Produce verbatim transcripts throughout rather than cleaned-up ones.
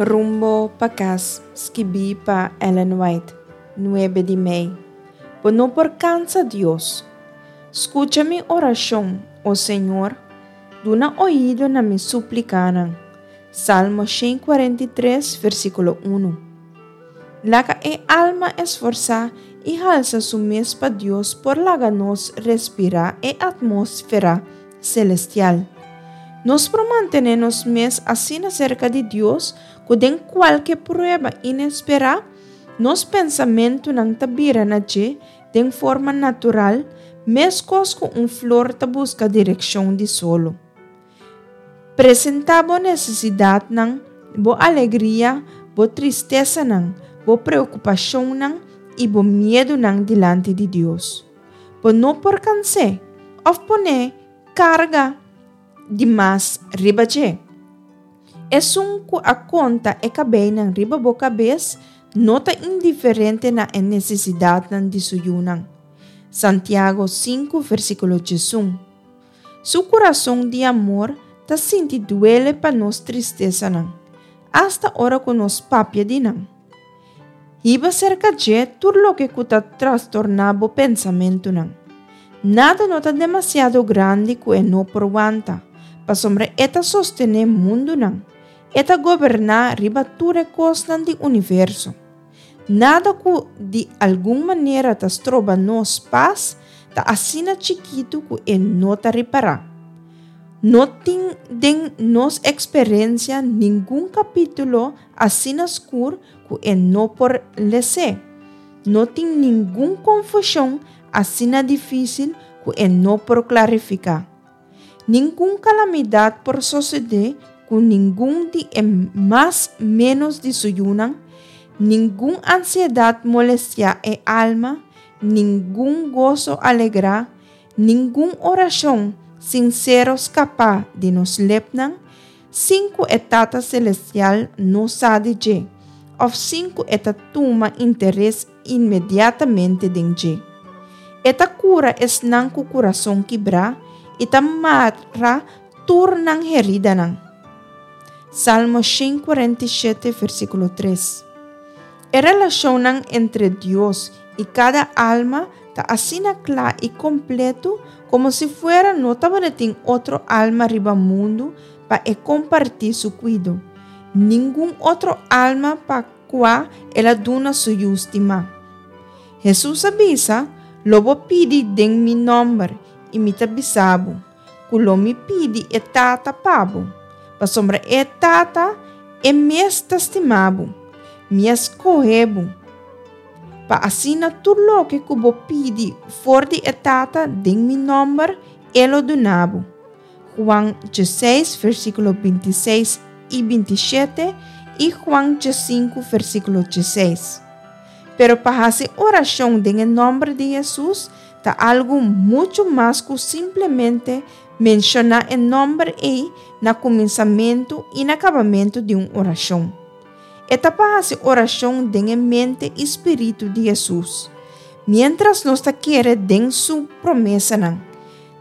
Rumbo pa kas, skibí pa Ellen White, nuebe di mei. Bo no por kansa Dios. Skucha mi orashon, o Señor, duna oido na mi súplikanan. Salmo shen kuarenta i tres, versíkulo un. Laga e alma esforsá i halsa su mes pa Dios por laga nos respirá e atmósfera selestial. Nos por mantené nos mes asina serka di Dios ku den kualke prueba inesperá, nos pensamentunan ta bira na dje den forma natural, meskos ku un flor ta buska direkshon di solo. Presentá bo nesesidatnan, bo alegria, bo tristesanan, bo preokupashonnan i bo miedunan dilanti di Dios. Bo no por kans'é òf pone karga di mas riba dje. Esun ku a konta e kabeinan riba bo kabes no ta indiferente na e nesesidatnan di su yunan. Santiago sinku versíkulo diesun. Su kurason di amor ta sinti duele pa nos tristesanan, asta ora ku nos papia di nan. Hiba serka dje tur loke ku ta trastorná bo pensamentunan. Nada no ta demasiado grandi ku e no por wanta, pasobra e ta sostené mundunan, e ta goberná riba tur e kosnan di universo. Nada ku di algun manera ta stroba nos pas ta asina chikitu ku e no ta ripará. No tin den nos eksperensia ningun kapítulo asina skur ku e no por les'é. No tin ningun konfushon asina difísil ku e no por klarifiká. Ningun kalamidat por sosodé ku ningun di e mas ménos di su yunan, ningun ansiedat molestiá e alma, ningun goso alegrá, ningun orashon sinsero skapa di nos lepnan, sin ku e Tata Selestial no sa di dje, òf sin ku e ta tuma interes inmediatamente den dje. E ta kura esnan ku kurason kibrá i ta mara tur nan heridanan. Salmo shen kuarenta i shete, versíkulo tres. E relashonnan entre Dios i kada alma ta asina kla i kompleto komo si fuera no tabatin otro alma riba mundu pa e kompartí su kuido, ningun otro alma pa kua el a duna su yu stimá. Hesus a bisa, Lo bo pidi den mi nòmber, i mi ta bisa bo, ku lo mi pidi e Tata pa bo, pasobra e Tata e mes ta stima bo. Mi a skohe bo, pa asina tur loke ku bo pidi for di e Tata den mi nòmber, e lo duna bo. Juan diesseis, versíkulo bintiseis i bintishete i Juan diesinku, versíkulo diesseis. Pero pa hasi orashon den e nòmber di Hesus ta algu muchu mas ku simplemente menshoná e nòmber ei na kuminsamentu i na kabamentu di un orashon. E ta pa hasi orashon den e mente i spiritu di Hesus, miéntras nos ta kere den su promesanan,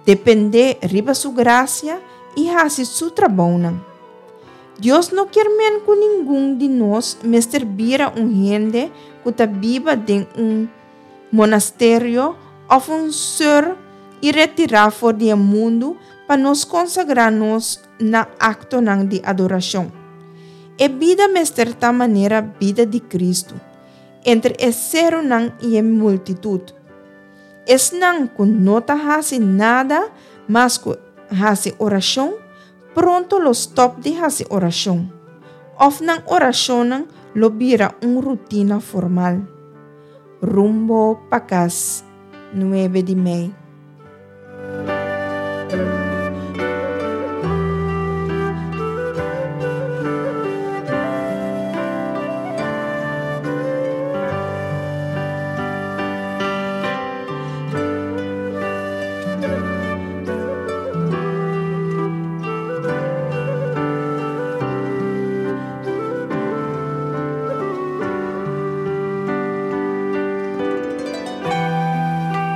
dependé riba su grasia i hasi su trabounan. Dios no kier men ku ningun di nos mester bira un hende ku ta biba den un monasterio òf un sùr i retirá for di e mundu pa nos konsagrá nos na aktonan di adorashon. E bida mester ta manera bida di Kristu, entre e serunan i e multitut. Esnan ku no ta hasi nada mas ku hasi orashon, pronto lo stòp di hasi orashon, òf nan orashonnan lo bira un rutina formal. Rumbo pa kas, nuebe di mei.